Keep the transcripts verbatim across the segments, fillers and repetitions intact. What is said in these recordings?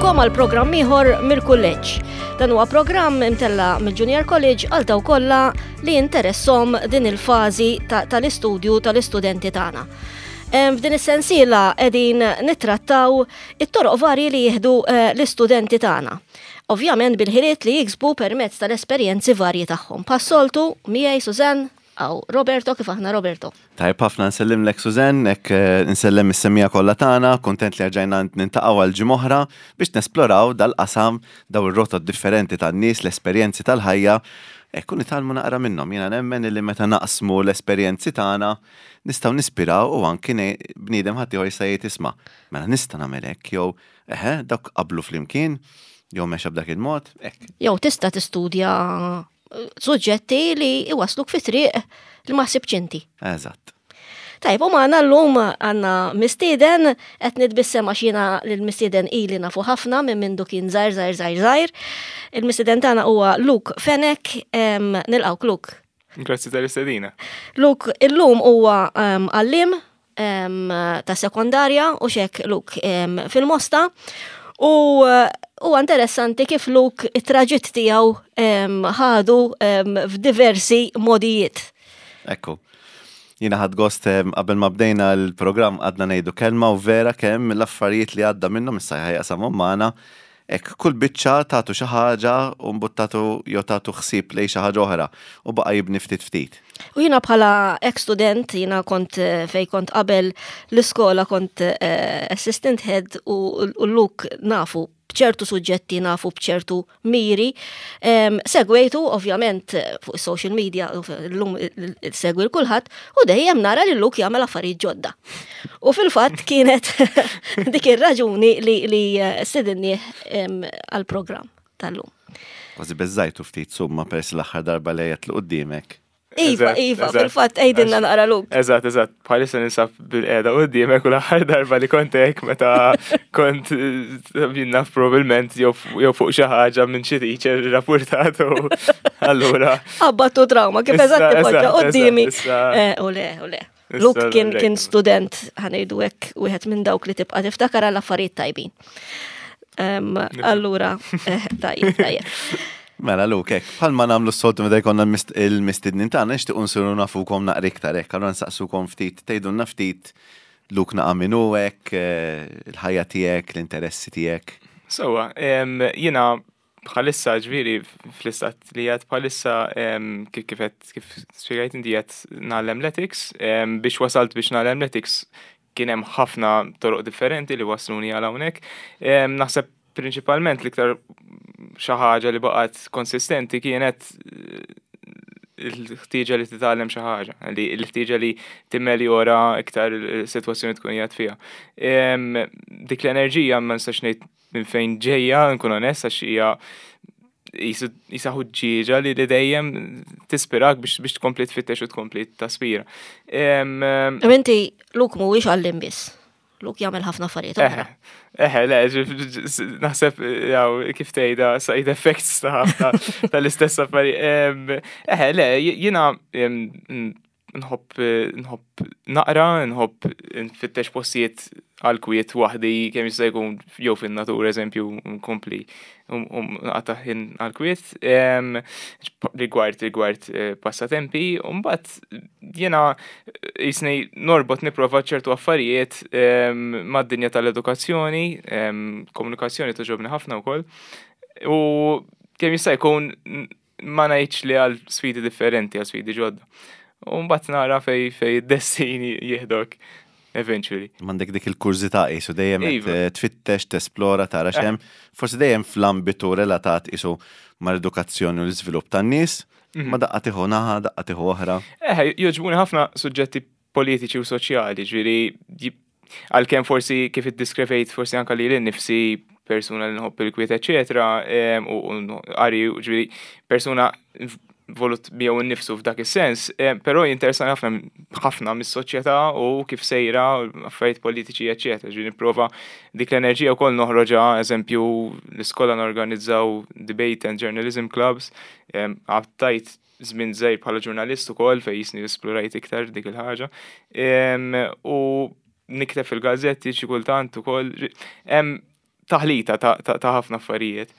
Nilqgħukom għal programm ieħor mill-kulleġġ. Dan huwa programm imtella mill-Junior College għal dawk kollha li interessahom din il-fażi tal-istudju tal-istudenti tagħna. F'din is-sensiela qegħdin nittrattaw it-toroq varji li jieħdu eh, l-istudenti tagħna. Ovvjament bil-ħiliet li jiksbu permezz tal-esperjenzi varji tagħhom. Bħas-soltu miegħi Susan Aw, Roberto, kif aħna, Roberto? Tajb ħafna, nsellimlek Susan, hekk eh, nsellem is-semmiegħa kollha tagħna, kontent li rġajna niltaqgħu għal ġimgħa oħra biex nesploraw dal-qasam, daw ir-rotot differenti tan-nies, l-esperjenzi tal-ħajja, hekk u nitgħallmu naqra minnhom. Jiena nemmen li meta naqsmu l-esperjenzi tagħna nistgħu nispiraw u anki bniedem ħadd ieħor jista' jgħid, "Isma', mela nista' nagħmel hekk," jew "Eħe, dawk qablu flimkien," jew "mexa b'dak il-mod," hekk. Jew tista' tistudja suġġetti li iwasluk fi triq li ma ħsibtx inti. Eżatt. Tajb, u magħna llum għandna mistieden, qed nitbissem għax jiena l-mistieden ili nafu ħafna minn mindu kien żgħir, żgħir, żgħir, żgħir. Il-mistieden tagħna huwa Luke Fenech, nilqgħuk, Luke. Grazzi tal-istedina. Luke illum huwa għalliem ta' sekondarja u xek, Luke, fil-Mosta. U huwa interessanti kif Luke it-traġitt tiegħu ħadu f'diversi modijiet. Ekku. Jiena ħadt gost, qabel ma bdejna l-programm għadna ngħidu kelma u vera kemm l-affarijiet li għadda minnhom issa ħa jaqsamhom magħna. Hekk kull biċċa tagħtu xi ħaġa u mbuttatu jew tagħtu ħsieb lejn xi ħaġa oħra u baqa' jibni ftit ftit. U jiena bħala ex-student, jiena kont eh, fej kont qabel l-iskola kont eh, assistant head u u Luke nafu bċertu suġġetti, nafu bċertu miri. Em, Segwejtu, ovvjament, fuq social media, u l-lum segwi l-kulħadd, u dejjem nara li Luke jagħmel affarijiet ġodda. U fil-fatt kienet dik ir-raġuni li, li eh, stedinnieh għal-programm tal-lum. Kważi beżżajtu ftit summa peress l-aħħar darba li għedt qudiemek. Iva, Eżatt, Iva, eżatt. fil-fatt għidilna naqra, Luke. Eżatt, eżatt. Bħalissa ninsab bil-qiegħda quddiemek u l-aħħar darba li kont hekk meta kont eh, jien naf probabbilment jew jew fuq xi ħaġa minn xi teacher rapportat u allura. Abbattu trauma, kif Issa, eżatt tipoġġa eżatt, quddiemi. eżatt, issa- Eh, U le, u le. Issa Luke kien kien rejt. student, ħa ngħidu hekk, wieħed minn dawk li tibqa' tiftakar għal affarijiet tajbin. Em, Allura, eh, tajjeb, tajjeb. Mela Luke, hekk, bħalma nagħmlu s-soltu meta jkollna l-mist- il-mistednin tagħna, nixtiequ nsiru nafukom naqra iktar hekk, allura nsaqsukom ftit, tgħidulna ftit Luke naqa' min hu hekk, eh, il-ħajja tiegħek, l-interessi tiegħek. Sewwa, em, jiena bħalissa, ġifieri fl-istat li għad bħalissa, em, kif kif qed- kif spjegajt inti, qed ngħallem l-ethics, em, biex wasalt biex ngħallem l-ethics kien hemm ħafna toroq differenti li wasluni għal hawnhekk. Em, Naħseb prinċipalment l-iktar xi ħaġa li baqgħet konsistenti kienet eh, il-ħtieġa li titgħallem xi ħaġa, li l-ħtieġa li timmeljora iktar il-sitwazzjoni tkun qiegħed fiha. Em, Dik l-enerġija ma nistax ngħid minn fejn ġejja, nkun onest, għax hija jisa ħuġġieġa li li dejjem tispirak biex biex tkompli tfittex u tkompli taspira. Em, em, U inti, Luke mhuwiex għalliem biss. Luke jagħmel ħafna affarijiet oħra. Eħe, eħe, le, ġ- ġ- naħseb, jaw, kif tgħidha, side effects ta' ħafna tal-istess affarijiet. Em, Eħe, le, jiena em, nħobb nħobb naqra, nħobb nfittex postijiet għal kwiet waħdi kemm jista' jkun jew fin-natura, eżempju, nkompli um nqatta' ħin għal kwiet. Em, Rigward rigward eh, passatempi, u mbagħad jiena jisni norbot, nipprova ċertu affarijiet em, mad-dinja tal-edukazzjoni, em, komunikazzjoni togħġobni ħafna wkoll. U kemm jista' jkun ma ngħidx li għal sfidi differenti, għal sfidi ġodda. U mbagħad nara fej fej id-destin jieħdok eventually. M'għandek dik il-kurżità qisu dejjem qed Iva. eh, tfittex, tesplora, tara x'hemm, forsi dejjem fl-ambitu relatat qisu mal-edukazzjoni u l-iżvilupp tan-nies, ma daqqa tieħu naħa, daqqa tieħu oħra. Eh, jogħġbuni ħafna suġġetti politiċi u soċjali, ġifieri, għalkemm forsi kif iddiskrivejt forsi anka li nifsi persuna li nħobb il-kwiet, eccetera, em, u u qari, ġifieri, persuna volut miegħu nnifsu f'dak is-sens, em, però jinteressani ħafna ħafna mis-soċjetà u kif sejra, affarijiet politiċi, eccetera. Ġifieri nipprova dik l-enerġija wkoll noħroġha, eżempju, l-iskola norganizzaw debate and journalism clubs, em, għaddejt żmien żgħir bħala ġurnalist ukoll fejn jisni esplorajt iktar dik il-ħaġa. Em, U nikteb fil-gazzetti xi kultant ukoll. Hemm taħlita ta' ħafna affarijiet.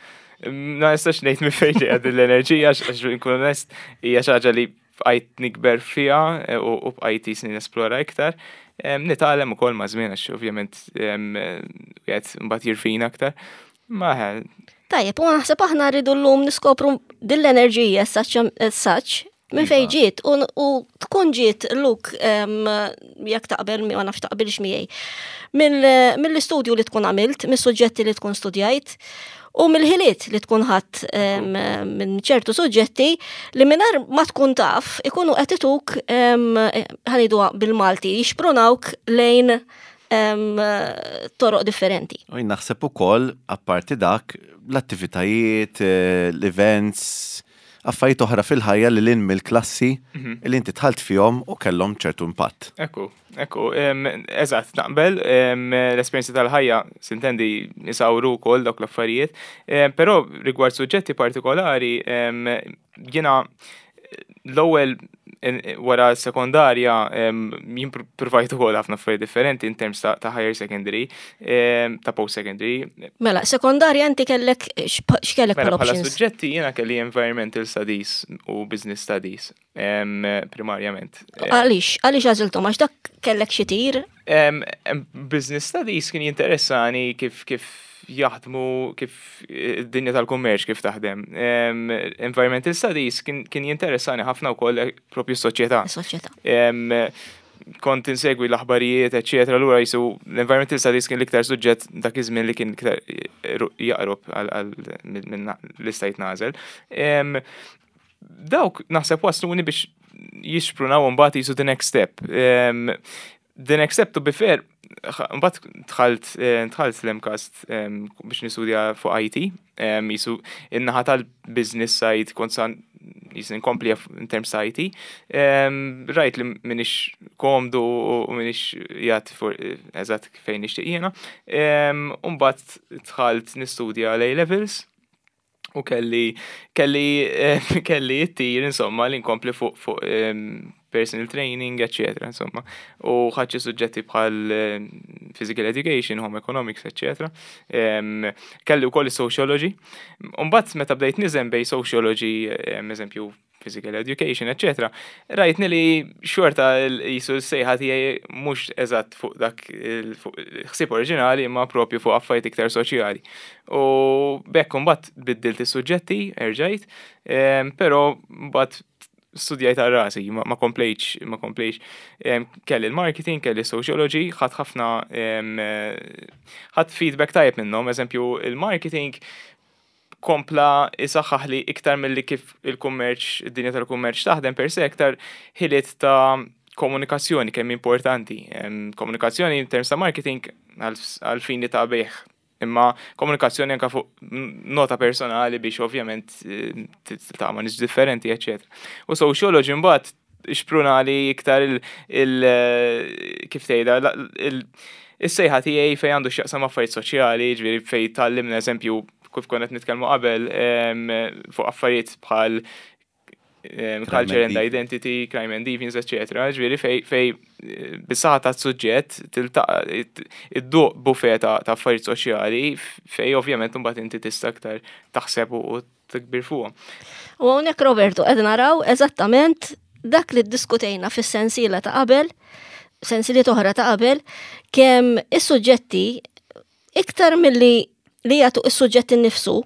Ma nistax ngħid minn fejn ġejja din l-enerġija, għax nkun onest, hija xi ħaġa li bqajt nikber fiha eh, u bqajt jisni nesplora iktar. Nitgħallem ukoll ma' żmien, għax ovvjament qed mbagħad jirfina aktar. Ma Tajjeb, u naħseb aħna rridu llum niskopru din l-enerġija as such minn fejn iva. ġiet u tkun ġiet, Luke, jekk taqbel, ma nafx taqbilx miegħi, mill-istudju li tkun għamilt, mis-suġġetti li tkun studjajt u mill-ħiliet li tkun ħadd minn ċertu suġġetti li mingħajr ma tkun taf ikunu qed ituk, ħa ngħidu bil-Malti, jixprunawk lejn toroq differenti. U naħseb ukoll, apparti dak, l-attivitajiet, eh, l-events, affarijiet oħra fil-ħajja li lil hinn mill-klassi mhm. li inti dħalt fihom u kellhom ċertu impatt. Ekku, ekku, eżatt, naqbel, l-esperjenzi tal-ħajja s'intendi jisawru wkoll dawk l-affarijiet, però rigward suġġetti partikolari, jiena l-ewwel wara sekondarja jien provajt ukoll ħafna affarijiet differenti in terms ta' higher secondary, ta' post secondary. Mela, sekondarja inti kellek x'kellek mela, bħala suġġetti jiena kelli environmental studies u business studies primarjament. Għaliex, għaliex għażiltom, għax dak kellek xi tir? Business studies kien jinteressani kif kif jaħdmu, kif id-dinja tal-kummerċ kif taħdem. Environmental studies kien, kien jinteressani ħafna wkoll propju s-soċjetà. Soċjetà. Kont insegwi l-aħbarijiet, eċetera, allura jisu l-environmental studies kien l-iktar suġġett dak iż-żmien li kien iktar jaqrob għal minn li stajt nagħżel. Dawk naħseb wasluni biex jixprunaw mbagħad jisu the next step. The next step, to be fair, mbagħad dħalt eh, dħalt l-MCAST biex nistudja fuq I T, jisu in-naħa tal-business side kont san jisu nkompli in terms ta' I T. Rajt li m'iniex komdu u m'iniex jgħat eżatt fejn nixtieq jiena. Mbagħad dħalt nistudja l-A-levels u kelli kelli kelli it-tir insomma li nkompli fuq fuq personal training, eccetera. Insomma. U ħadt xi suġġetti bħal physical education, home economics, eccetera. Kelli wkoll sociology. Mbagħad meta bdejt niżen bejn sociology, eżempju, physical education, eccetera. Rajtni li xorta jisu s-sejħa tiegħi mhux eżatt fuq dak ħsieb oriġinali, imma propju fuq affarijiet iktar soċjali. U b'hekk mbagħad biddilt is-suġġetti, erġajt, però mbagħad studjajt għal rasi, ma komplejtx, ma komplejtx. Kelli l-marketing, kelli sociology, ħadt ħafna, ħadt feedback tajjeb minnhom, eżempju, il-marketing kompla isaħħaħ li iktar mill-li kif il-kummerċ, id-dinja tal-kummerċ taħdem per se, iktar ħiliet ta' komunikazzjoni kemm importanti. Komunikazzjoni in terms ta' marketing għal fini ta' bejgħ, imma komunikazzjoni anka fuq nota personali biex ovvjament eh, ta' ma' nies differenti, eccetera. U sociology mbagħad xpruna li iktar il, il eh, kif tgħidha, il- is-sejħa tiegħi fejn għandu x'jaqsam affarijiet soċjali, ġifieri fejn tgħallimna, eżempju, kif konna qed nitkellmu qabel, fuq affarijiet bħal culture and identity, crime and deviance, eccetera. Ġifieri fej fej eh, bis-saħħa ta' suġġett tiltaqa' idduq buffet ta' affarijiet soċjali fej ovvjament mbagħad inti tista' aktar taħseb u tikbir fuqhom. U hawnhekk, Roberto, qed naraw eżattament dak li ddiskutejna fis-sensiela ta' qabel, sensiliet oħra ta' qabel, kemm is-suġġetti iktar milli li jagħtu is-suġġett innifsu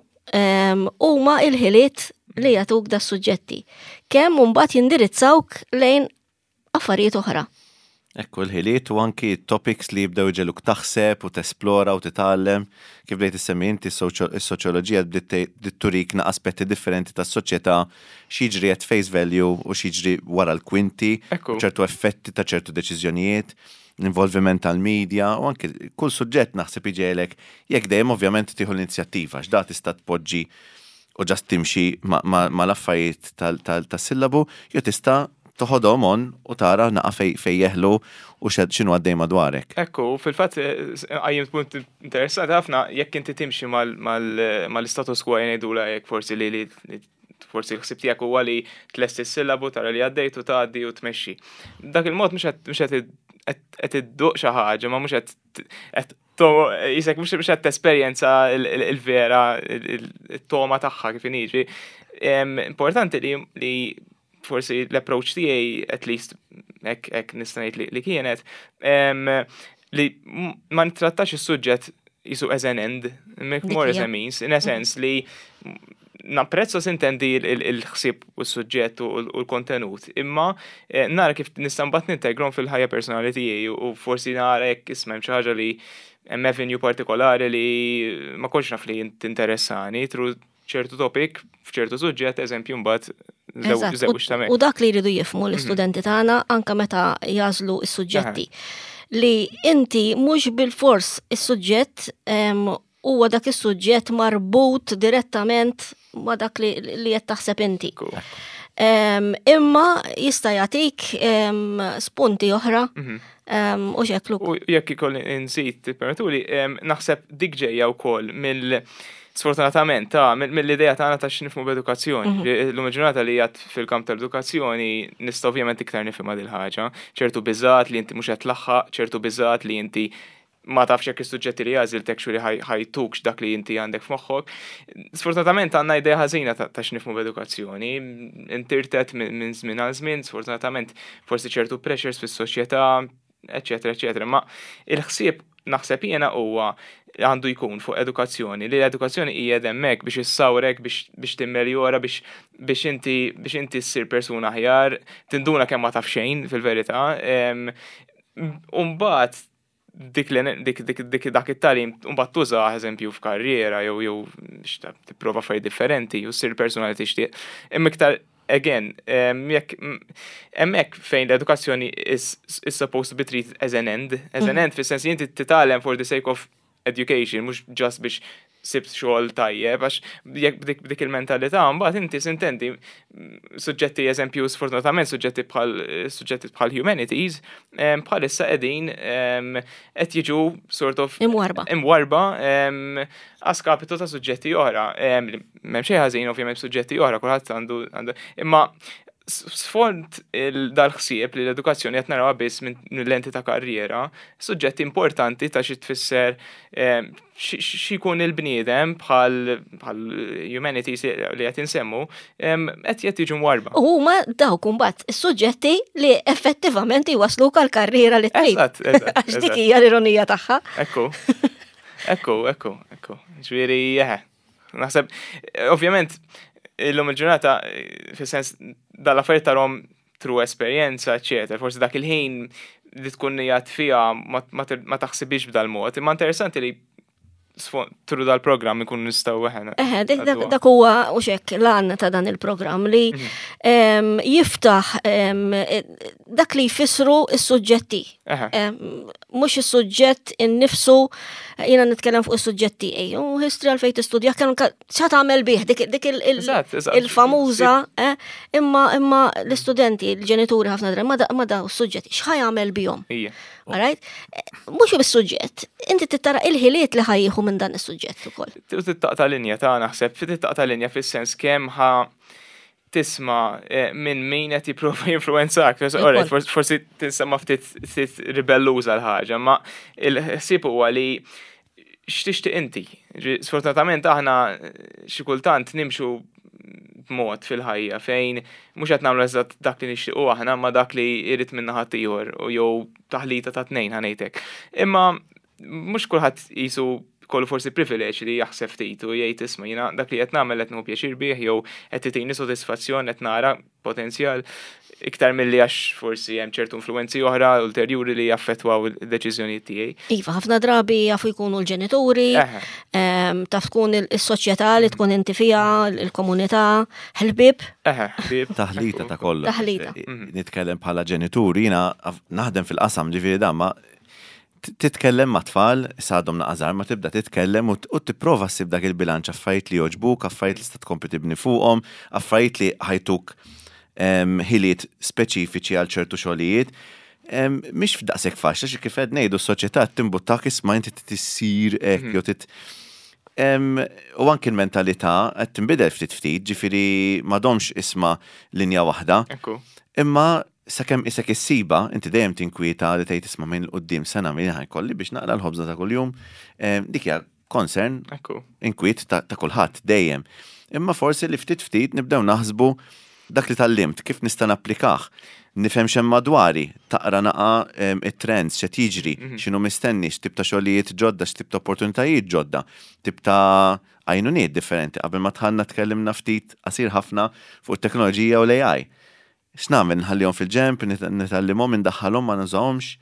huma il-ħiliet li jagħtuk da suġġetti. Kemm mbagħad jindirizzawk lejn affarijiet oħra. Ekku, l-ħiliet u anki topics li jibdew iġegħluk taħseb u tesplora u titgħallem. Kif bdejt issemmi inti, is-soċjoloġija bdiet turik aspetti differenti tas-soċjetà, x'jiġri at face value u x'jiġri wara l-kwinti, ċertu effetti ta' ċertu deċiżjonijiet, l-involviment tal-media u anki kull suġġett naħseb iġegħlek, jekk dejjem ovvjament tieħu l-inizjattiva, x'da tista' tpoġġi u just timxi ma l-affarijiet tas-sillabu, jew tista' toħodhom on u tara naqa fej fej jeħlu u x'inhu għaddej madwarek. Ekku, fil-fatt eh, għajjimt punt interessanti ħafna, jekk inti timxi mal-status quo jgħidula, jekk forsi li li forsi l-ħsib tiegħek huwa li tlesti s-sillabu, tara li għaddejt u tgħaddi u tmexxi. Dak il-mod mhux qed qed idduq xi ħaġa, ma mhux qed Jisek mhux mhux qed tesperjenza il-vera it-togħma tagħha kif inhi. Importanti li li forsi l-approach tiegħi, at least hekk hekk nista' ngħid li kienet, li ma nittrattax is-suġġett jisu as an end, more as a means, in a sense li napprezza, sintendi, il-ħsieb u s-suġġett u l-kontenut, imma eh, nara kif nista' mbagħad nintegrom fil-ħajja personali tiegħi u forsi nara jekk isma' hemm xi ħaġa li hemm avenue partikolari li ma kontx naf li tinteressani through ċertu topic f'ċertu suġġett, eżempju, mbagħad. U dak li jridu jifhmu l-istudenti tagħna anka meta jagħżlu s-suġġetti, li inti mhux bil-fors is-suġġett huwa dak is-suġġett marbut direttament ma dak li qed taħseb inti. Imma jista' jagħtik spunti oħra mhm. u xeklu. U jekk ikolli nżid, permettuli, naħseb dik ġejja wkoll mill sfortunatament ta' mill-idea tagħna ta' x'nifhmu b'edukazzjoni. Mhm. L-lum ġurnata li jgħat fil-kamp tal-edukazzjoni nista' ovvjament iktar nifhimha dil ħaġa. Ċertu biżat li inti mhux qed tlaħħaq, ċertu biżat li inti ma tafx jekk is-suġġetti li għażilt actually ħa jtukx dak li inti għandek f'moħħok. Sfortunatament għandna idea ħażina ta' x'nifhmu b'edukazzjoni. Intirtet minn żmien għal żmien, sfortunatament forsi ċertu pressures fis-soċjetà, eċetera, eċetera. Ma il-ħsieb naħseb jiena huwa għandu jkun fuq edukazzjoni, li l-edukazzjoni hija hemmhekk biex issawrek, biex biex timmeljora, biex biex inti biex inti ssir persuna aħjar, tinduna kemm ma taf xejn fil-verità. Umbagħad dik dik dik dik dak it-tagħlim mbagħad tuża, eżempju, f'karriera jew jew biex tipprova affarijiet differenti u ssir persuna li tixtieq. Imma iktar again, jekk hemmhekk fejn l-edukazzjoni is, is supposed to be treated as an end, as an mhm. end fis-sens li inti titgħallem for the sake of education, mhux just biex sibt xogħol tajjeb, għax jekk dik, dik il-mentalità, mbagħad inti, sintendi, suġġetti, eżempju, sfortunatament suġġetti bħal suġġetti bħal humanities, bħalissa qegħdin qed jiġu sort of imwarba. Imwarba a skapitu ta' suġġetti oħra. M'hemm xejn ħażin ovvjament suġġetti oħra, kulħadd għandu imma sfond dal-ħsieb li l-edukazzjoni qed narawha biss minn lenti ta' karriera, suġġetti importanti ta' xi tfisser xi jkun il-bniedem bħal bħal humanities li qed insemmu qed qed jiġu mwarba. U huma dawk imbagħad is-suġġetti li effettivament jwasluk għal karriera li trid. Eżatt, eżatt. Għax dik hija l-ironija tagħha. Ekku. Ekku, ekku, ekku. Ġifieri, eħe. Naħseb, ovvjament, illum il-ġurnata, fis-sens dal-affarijiet tarahom through esperjenza, eċetera. Forsi dak il-ħin li tkun jgħat fija ma taħsibix b'dal-mod. Imma interessanti li through dal-programm ikun nistgħu eħena. Eħe, dak huwa u xek l-għan ta' dan il-programm li mhm. jiftaħ dak li jfissru is-suġġetti. Mhux is-suġġett innifsu, jiena nitkellem fuq is-suġġetti, u history għalfejn tistudja, kienu xa tagħmel bih dik il-famuża, eh, imma imma l-istudenti, l-ġenituri ħafna drabi ma daw is-suġġetti x'ħa jagħmel bihom? Alright? Mhux bis-suġġett, inti tittara il-ħiliet li ħa jieħu minn dan is-suġġett ukoll. Taqta' linja ta' naħseb, taqta' linja fis-sens kemm ħa tisma' eh, minn min qed jipprova jinfluwenzak. Forsi tinsemma ftit ftit ribelluża l-ħaġa, ma il-ħsieb huwa li x'tixtieq inti. Sfortunatament aħna xi kultant nimxu b'mod fil-ħajja fejn mhux qed nagħmlu eżatt dak li nixtiequ aħna ma dak li jrid minna ħaddieħor u jew taħlita ta' tnejn, ħa ngħidlek. Imma mhux kulħadd jisu kollu forsi privileġġ li jaħseb ftit u jgħid, "Isma', jiena dak li qed nagħmel qed nieħu pjaċir bih jew qed itini sodisfazzjon, qed nara potenzjal iktar milli għax forsi hemm ċertu influenzi oħra ulterjuri li jaffettwaw id-deċiżjonijiet tiegħi." Iva, ħafna drabi jafu jkunu l-ġenituri, taf tkun is-soċjetà li tkun inti fiha, il-komunità, ħbieb. Eħe, ħbieb. Taħlita ta' kollox. Taħlita. Nitkellem bħala ġenituri, jiena naħdem fil-qasam, ġifieri dan ma titkellem ma' tfal, għadhom naqra żgħar, ma tibda titkellem u tipprova ssib dak il-bilanċ, affarijiet li jogħġbuk, affarijiet li tista' tkompli tibni fuqhom, affarijiet li ħa jtuk ħiliet speċifiċi għal ċertu xogħlijiet. Mhix f'daqshekk faċli xi kif qed ngħidu s-soċjetà timbuttak, isma', inti tissir hekk mhm. jew tit U anki l-mentalità qed tinbidel ftit ftit, ġifieri m'għadhomx isma' linja waħda. Imma Sakemm isek issiba, inti dejjem tinkwieta li tgħid, "Isma', minn quddiem sena min ħa jkolli biex naqla' l-ħobża ta' kuljum?" Dik hija concern, inkwiet ta' kulħadd dejjem. Imma forsi li ftit ftit nibdew naħsbu dak li tgħallimt, kif nista' napplikah, nifhem x'hemm madwari, taqra naqa it-trends, x'qed jiġri, mhm. x'inhu mistenni, x'tip ta' xogħlijiet ġodda, x'tip ta' opportunitajiet ġodda, tip ta' għajnuniet differenti. Qabel ma dħalna tkellimna ftit qasir ħafna fuq it-teknoloġija u l-A I. X'nagħmel, nħallihom fil-ġemp, nitgħallimhom, indaħħalhom, ma nużahomx?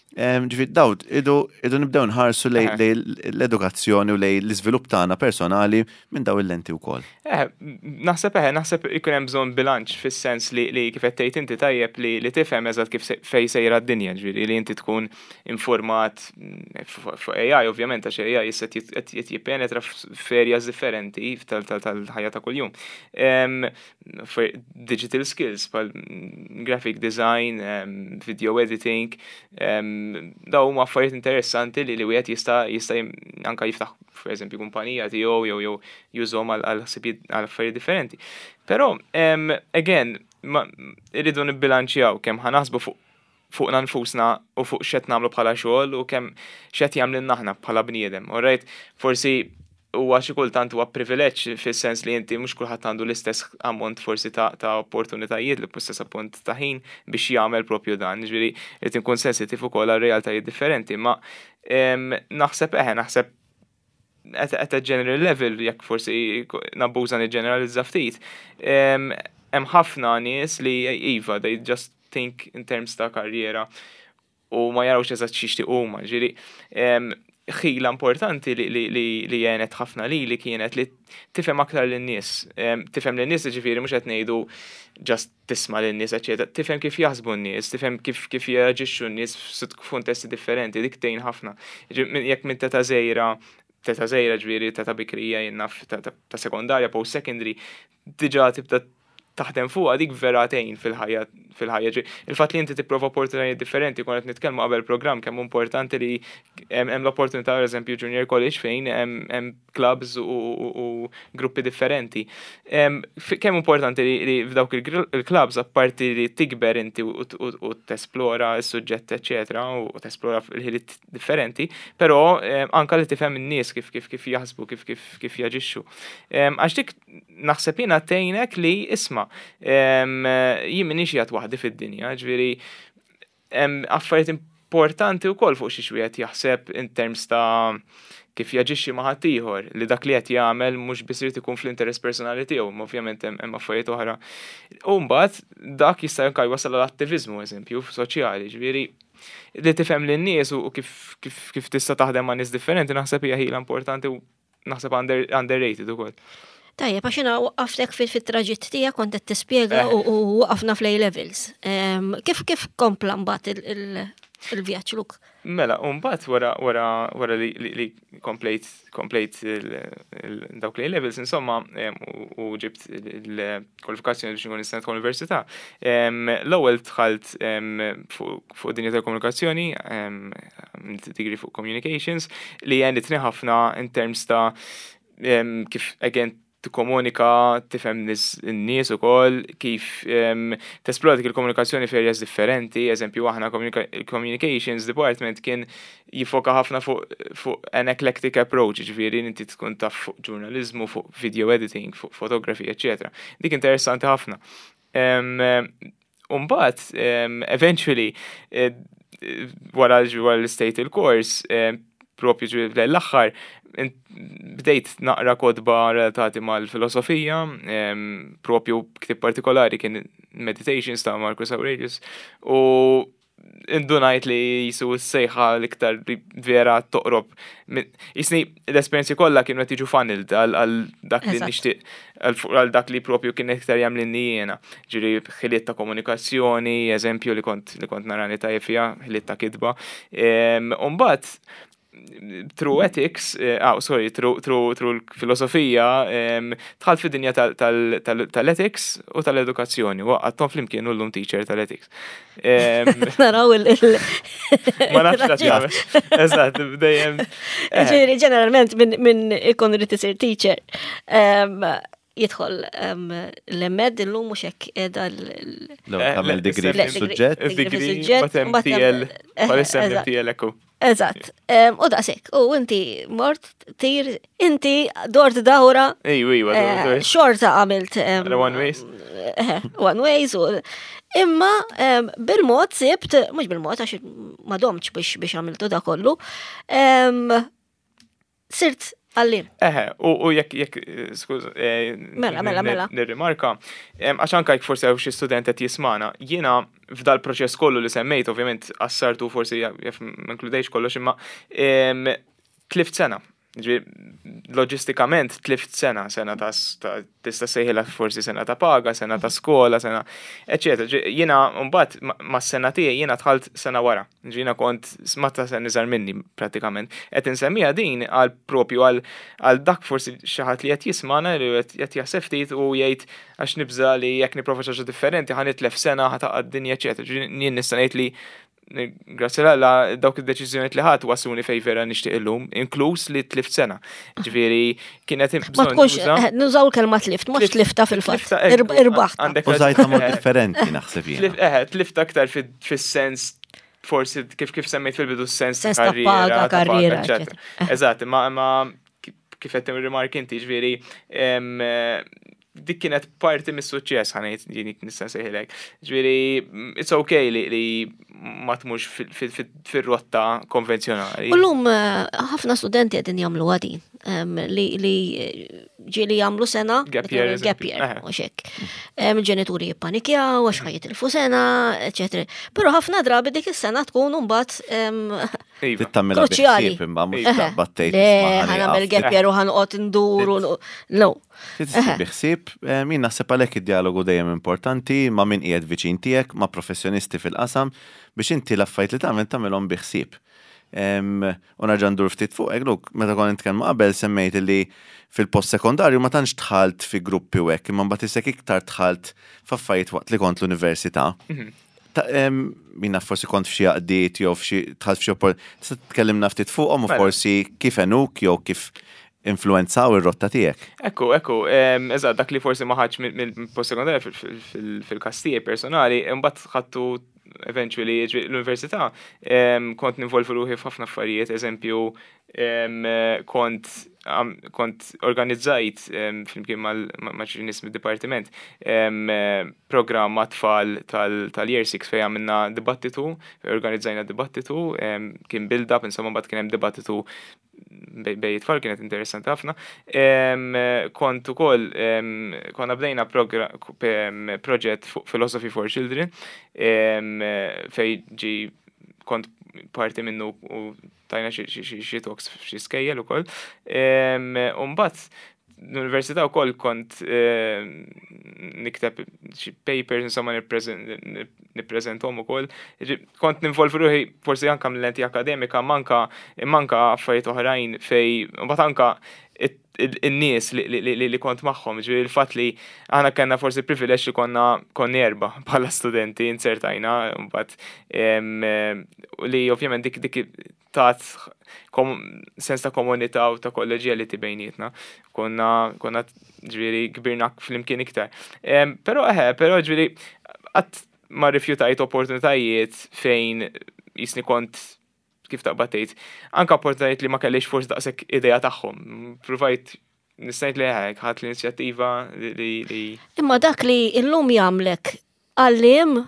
Ġifieri daw, idu, idu nibdew nħarsu lej l-edukazzjoni u lej l-iżvilupp tagħna personali minn daw il-lenti wkoll. Eh, naħseb eħe, naħseb ikun hemm bżonn bilanċ fis-sens li, li kif qed tgħid inti tajjeb li, li tifhem eżatt kif fej sejra d-dinja, ġifieri li inti tkun informat mm, fuq A I, ovvjament, għax A I issa qed jippenetra f'areas differenti tal-ħajja ta' kuljum. Digital skills, bħal graphic design, video editing, daw huma affarijiet interessanti li li wieħed jista' jista' anka jiftaħ, pereżempju, kumpanija tiegħu jew jew jużhom għal ħsibijiet, għal affarijiet differenti. Però again, irridu nibbilanċjaw kemm ħa naħsbu fuq fuqna nfusna u fuq x'qed nagħmlu bħala xogħol u kemm x'qed jagħmlilna aħna bħala bniedem. Alright, forsi huwa xi kultant huwa privileġġ fis-sens li inti mhux kulħadd għandu l-istess ammont forsi ta', ta opportunitajiet, l-istess ammont ta' ħin biex jagħmel propju dan. Ġifieri irid inkun sensitiv ukoll għal realtajiet differenti, ma naħseb eħe, naħseb at, at a general level, jekk forsi nabbuża niġġeneralizza ftit, hemm ħafna nies li iva, they just think in terms ta' karriera u ma jarawx eżatt x'jixtiequ huma. Ġifieri ħila importanti li, li, li, li għenet ħafna li li kienet li tifhem aktar lin-nies. Tifhem lin-nies, ġifieri mhux qed ngħidu just tisma' lin-nies, eċetera. Tifhem kif jaħsbu n-nies, tifhem kif kif jaġixxu n-nies f'kuntesti differenti, dik tgħin ħafna. Jekk minn età żgħira, età żgħira ġifieri età bikrija, jien naf, ta' sekondarja, post secondary, diġà tibda taħdem fuqha dik, vera tgħin fil-ħajja fil-ħajja. Il-fatt li inti tipprova opportunitajiet differenti, konna qed nitkellmu qabel programm kemm importanti li hemm l-opportunità, eżempju, junior college fejn hemm clubs u gruppi differenti. Kemm importanti li f'dawk il-clubs, apparti li tikber inti u tesplora s-suġġett, eċetera, u tesplora il-ħiliet differenti, però anka li tifhem in-nies kif kif kif jaħsbu, kif kif kif jaġixxu. Għax dik naħseb jiena tgħinek li, isma', jien m'iniex qiegħed waħdi fid-dinja, ġifieri affarijiet importanti wkoll fuq xi wieħed jaħseb in terms ta' kif jaġixxi ma' ħaddieħor, li dak li qed jagħmel mhux biss irid ikun fl-interess personali tiegħu, ma ovvjament hemm affarijiet oħra. U mbagħad dak jista' anke jwassal għall-attiviżmu, eżempju, soċjali, ġifieri li tifhem lin-nies u kif kif kif tista' taħdem ma' nies differenti naħseb hija ħila importanti u naħseb underrated ukoll. Tajjeb, għax jiena waqaftek fil-traġitt tiegħek, kont qed tispjega eh. u waqafna fl levels. Kif kif kompla mbagħad il-vjaġġ, Luk? Mela, u mbagħad wara wara wara li, li komplejt komplejt dawk l levels, insomma, u ġibt il-kwalifikazzjoni biex nkun nista' università. L-ewwel dħalt fuq dinja tal-komunikazzjoni, degree fuq communications, li għenitni ħafna in terms ta' kif, again, tikkomunika, tifhem n-nies ukoll, kif tesplora dik il-komunikazzjoni f'areas differenti, eżempju, aħna communications department kien jifoka ħafna fuq fu an eclectic approach, ġifieri inti tkun taf fuq ġurnalizmu, fuq video editing, fuq photography, eċetera. Dik interessanti ħafna. Umbagħad, eventually, eh, wara l-state il-course, propju l-aħħar, bdejt naqra kotba relatati mal-filosofija, propju ktib partikolari kien Meditations ta' Marcus Aurelius, u indunajt li jisu s-sejħa l-iktar vera toqrob. Jisni l-esperienzi kollha kienu qed jiġu funneled għal dak li nixtieq, għal dak li propju kien iktar jagħmlilni jiena. Ġifieri ħiliet ta' komunikazzjoni, eżempju, li kont li kont narani tajjeb fiha, ħiliet ta' kitba. Umbagħad through ethics, eh, ah, sorry, through, through, through l-filosofija, dħalt fid-dinja tal-ethics u tal-edukazzjoni, u għaddejthom flimkien u llum teacher tal-ethics. Naraw il- Ma nafx. Eżatt, dejjem. Eh. Ġifieri, ġeneralment minn ikun irid isir teacher. Jidħol l-M Ed illum, mhux hekk qiegħda l- L-ewwel tagħmel degree Le, fis-suġġett. degree fis-suġġett, Batem mbagħad T L, hemm- bħalissa eżatt. M T L ekku. Eżatt. Em, U daqshekk, u inti mort tir, inti dort dawra, Ejju, ejju, eh, xorta għamilt em, Għala one ways. eh, one ways u imma em, bil-mod sibt, mhux bil-mod għax ma domtx biex biex għamiltu da kollu, em, sirt għalliem. Eħe, u u jekk, jekk, skuż, eh, Mela, mela, mela. Nirrimarka, em, għax anka jekk forsi hawn xi student qed jismana, jiena f'dal proċess kollu li semmejt, ovvjament qassartu, forsi jaf ma inkludejx kollox, imma em, tlift sena. Ġifieri, loġistikament tlift sena, sena ta' ta' tista' sejħilha forsi sena ta' paga, sena ta' skola, sena, eccetera. Ġi- Jiena mbagħad ma- mas-sena tiegħi jiena dħalt sena wara. Ġi jiena kont smatta sena iżgħar minni pratikament. Qed insemmija din għal propju għal għal dak forsi xi ħadd li qed jismana li qed qed jaħseb ftit u jgħid għax nibża li jekk nipprova xi ħaġa differenti ħa nitlef sena, ħa taqa' d-dinja, eċetera. Ġi jien nista' ngħid li grazzi l dawk id-deċiżjonijiet li ħadt wasluni fej vera nixtieq illum, inkluż li tlift sena. Ġifieri kienet Ma bżonn tkunx, juża- eh, nużaw il-kelma tlift, mhux tlifta fil-fatt. Tlifta, eh, Irb- Irbaħta. għandek Użajta mod eh, differenti, naħseb jiena. Tlif- Eh, tlift aktar fi- fis-sens forsi kif kif semmejt fil-bidu, sens Sens ta' karriera, paga, ta' karriera, eccetera. Eżatt, ma ma kif qed rimark inti, ġifieri em, eh, dik kienet parti mis-suċċess, ħa ngħid jien nista' nsejħilek. Ġifieri mm, it's okay li, li ma tmurx fil- fil- fil- fir-rotta konvenzjonali. U llum eh, ħafna studenti qegħdin jagħmlu għadin li li eh, ġieli jagħmlu sena Gap year, gap eżempju. year, Eħe. u xek. Em, Il-ġenituri jippanikjaw għax ħa jitilfu sena, eccetera. Però ħafna drabi dik is-sena tkun mbagħad em, Iva. Tittamilha Kruċjali. bi ħsieb imma mhux Eħe. taqbad tgħid Le, isma' ħa nagħmel ħa nieqaf. gap year u ħa noqgħod nduru. No. Trid bi ħsieb, eh, min naħseb għalhekk id-dialogu dejjem importanti ma' min qiegħed viċin tiegħek, ma' professjonisti fil-qasam, biex inti l-affarijiet li tagħmel tagħmelhom bi ħsieb. Em, U nerġa' ndur ftit fuq, Luke, meta konna nitkellmu qabel semmejt li fil-post sekondarju ma tantx dħalt fi gruppi u hekk, imma mbagħad isek iktar dħalt f'affarijiet waqt li kont l-università. Ta' em, Minna forsi kont f'xi għaqdiet jew f'xi dħalt f'xi oppor. Tista' tkellimna ftit fuqhom u Mela. forsi kif għenuk jew kif influenzaw ir-rotta tiegħek. Ekku, ekku, em, eżatt, dak li forsi ma ħadx mill-post sekondarja fil-każ tiegħi personali, imbagħad ħadtu eventually ġi- l-università, em, kont ninvolvi ruħi f'ħafna affarijiet, eżempju, em, kont am- kont organizzajt em, flimkien mal- ma' ma' xi nies mid-dipartiment em, eh, programm ma' tfal tal- tal-Year six fejn għamilna dibattitu, organizzajna dibattitu, em, kien build-up, insomma, mbagħad kien hemm dibattitu bej bej it-tfal, kienet interessanti ħafna. Em, Kont ukoll em, konna bdejna progra- em, proġett fuq Philosophy for Children em, fej ġi kont parti minnu u tajna xi- xi xi- xi talks f'xi skejjel ukoll. Em, U mbagħad l-università wkoll kont em, nikteb xi papers, insomma, nippreżen- nippreżenthom ukoll. Ġi- Kont ninvolvi ruħi forsi anka mill-lenti akademika, manka manka affarijiet oħrajn fej mbagħad anka it- il- in-nies li, li, li, li kont magħhom, ġifieri il-fatt li aħna kellna forsi privileġġ li konna konna erba bħala studenti insertajna mbagħad em, em, li ovvjament dik dik tat kom, sens ta' komunità u ta' kollegiality bejnietna. Konna konna ġifieri kbirna flimkien iktar. Em, Però eħe, però ġifieri qatt ma rifjutajt opportunitajiet fejn jisni kont kif taqbad tgħid, anka opportunitajiet li ma kellix forsi daqshekk idea tagħhom. Provajt nistajt li hekk ħadt l-inizjattiva li li li Imma dak li illum jagħmlek għalliem,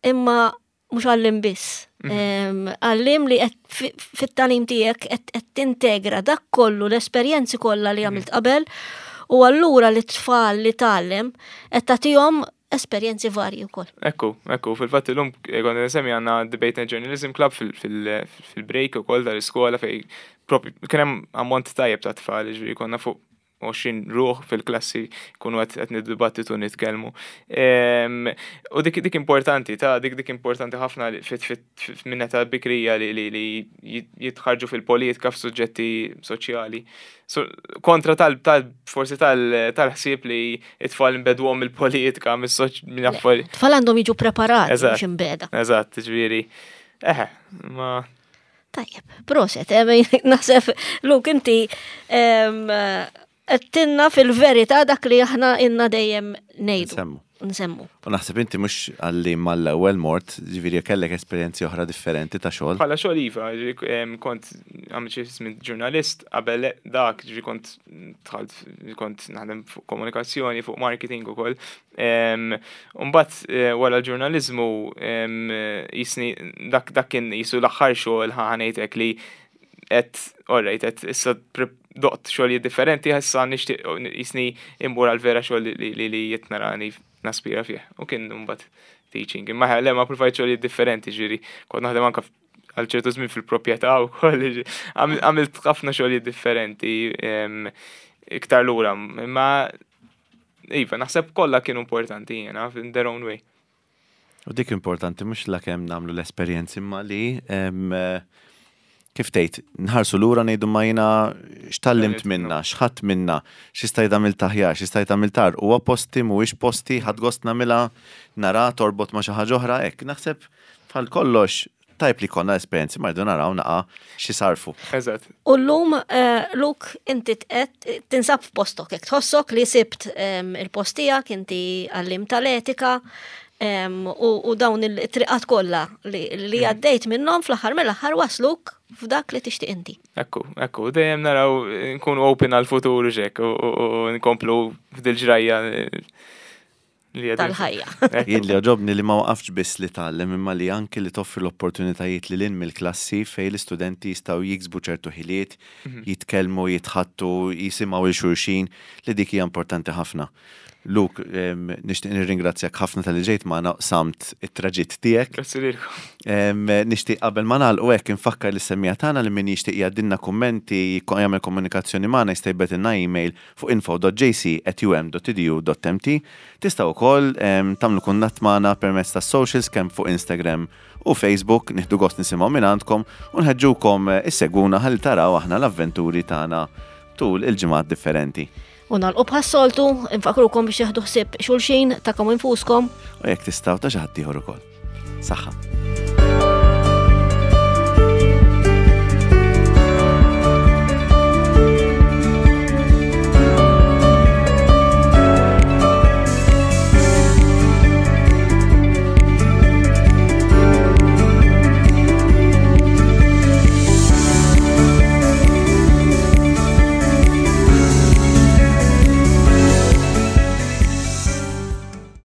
imma mhux għalliem biss. Em, Għalliem li qed fi- fit-tagħlim tiegħek qed qed tintegra dak kollu, l-esperjenzi kollha li għamilt qabel, u allura li tfal li tgħallem qed tagħtihom esperjenzi varji wkoll. Ekku, ekku, fil-fatt illum kont nsemmi għandna Debate and Journalism Club fil- fil- fil-break ukoll tal-iskola fej propju kien hemm ammont tajjeb ta' tfal, ġifieri konna fuq għoxrin ruħ fil-klassi kunu qed qed niddibattitu, nitkellmu. Em, U dik dik importanti, ta' dik dik importanti ħafna li fit fit fit minn età bikrija li li li jitħarġu fil-politika, f'suġġetti soċjali. So, kontra tal, tal forsi tal tal-ħsieb li it-tfal nbegħduhom mill-politika, mis-soċ minn affarijiet. Tfal għandhom jiġu preparati Eżatt. mhux imbegħda. Eżatt, ġifieri. Eħe, ma Tajjeb, proset, eh, naħseb, Luke, inti em, Għedtilna fil-verità dak li aħna ilna dejjem ngħidu. Nsemmu. Nsemmu. U naħseb inti mhux għalli mal-ewwel mort, ġifieri kellek esperjenzi oħra differenti ta' xogħol. Bħala xogħol iva, ġifieri, em, kont għamilt xi żmien ġurnalist, qabel dak, ġifieri kont dħalt, kont naħdem fuq komunikazzjoni, fuq marketing ukoll. Em, Mbagħad eh, wara l-ġurnaliżmu em, jisni dak dak kien jisu l-aħħar xogħol ħa ngħidlek li qed alright, qed issa pre- doqt xogħlijiet differenti, issa nixtieq jisni imbur għal vera xogħol li li li qed narani naspira fih. U kien mbagħad teaching. Imma le ma provajt xogħlijiet differenti, ġifieri kont naħdem anke għal ċertu żmien fil-proprjetà wkoll, ġifieri, għamil- għamilt ħafna xogħlijiet differenti em, iktar lura, imma iva, naħseb kollha kienu importanti jiena in their own way. U dik importanti mhux la kemm nagħmlu l-esperjenzi imma li em, eh, kif tgħid, nħarsu lura ngħidu ma jiena x'tgħallimt Tgħallimt minna, x'ħadt minna, x'istajt għamilt aħjar, x'istajt għamilt agħar, huwa posti mhuwiex posti, ħadt gost nagħmilha nara torbot ma' xi ħaġa oħra, hekk naħseb bħal kollox tajb li konna esperjenzi ma rridu naraw naqa xi sarfu. Eżatt. U llum, eh, Luke, inti tqed tinsab f'postok, jekk tħossok li sibt em, il-post tiegħek, inti għallim tal-etika, em, u, u dawn il-triqat kollha li, li għaddejt minnhom fl-aħħar mill-aħħar wasluk f'dak li tixtieq inti. Ekku, ekku, dejjem naraw nkunu open għal-futur ġek u u- u nkomplu f'dil-ġrajja li għadin. Tal-ħajja. Ekku. Jien li għoġobni li ma waqafx biss li tgħallem imma li anki li toffri l-opportunitajiet li lil mill-klassi fej l-istudenti jistgħu jiksbu ċertu ħiliet, jitkellmu, jitħaddtu, jisimgħu 'l xulxin, li dik hija importanti ħafna. Luke, em, nixtieq nirringrazzjak ħafna talli ġejt magħna qsamt it-traġitt tiegħek. Grazzi lilkom. Em, Nixtieq qabel ma nagħlqu hekk infakkar lis-semmiegħa tagħna li min jixtieq jgħaddilna kummenti, jko- jagħmel komunikazzjoni magħna jista' jibgħatilna email fuq info dot J C at U M dot edu dot M T. Tistgħu wkoll em, tagħmlu kuntatt magħna permezz tas-socials kemm fuq Instagram u Facebook, nieħdu gost nisimgħu minn għandkom u nħeġġukom eh, issegwuna ħalli taraw aħna l-avventuri tagħna tul il-ġimgħat differenti. U nagħlqu bħas-soltu, infakrukom biex tieħdu ħsieb xulxin tagħkom infuskom. U jekk tistgħu ta' xi ħadd ieħor ukoll. Saħħa.